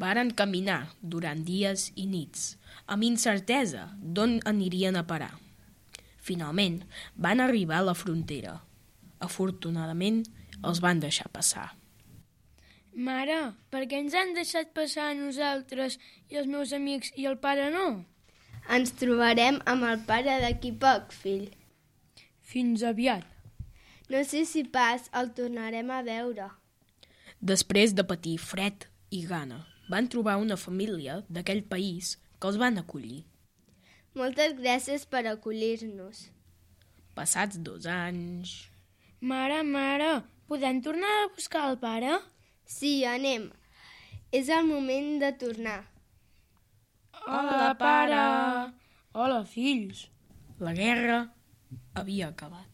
Varen caminar durant dies i nits, amb incertesa d'on anirien a parar. Finalment, van arribar a la frontera. Afortunadament, els van deixar passar. Mare, per què ens han deixat passar a nosaltres i els meus amics i el pare no? Ens trobarem amb el pare d'aquí poc, fill. Fins aviat. No sé si pas el tornarem a veure. Després de patir fred i gana, van trobar una família d'aquell país que els van acollir. Moltes gràcies per acollir-nos. Passats 2 anys... Mare, podem tornar a buscar el pare? Sí, anem. És el moment de tornar. Hola, pare! Hola, fills! La guerra havia acabat.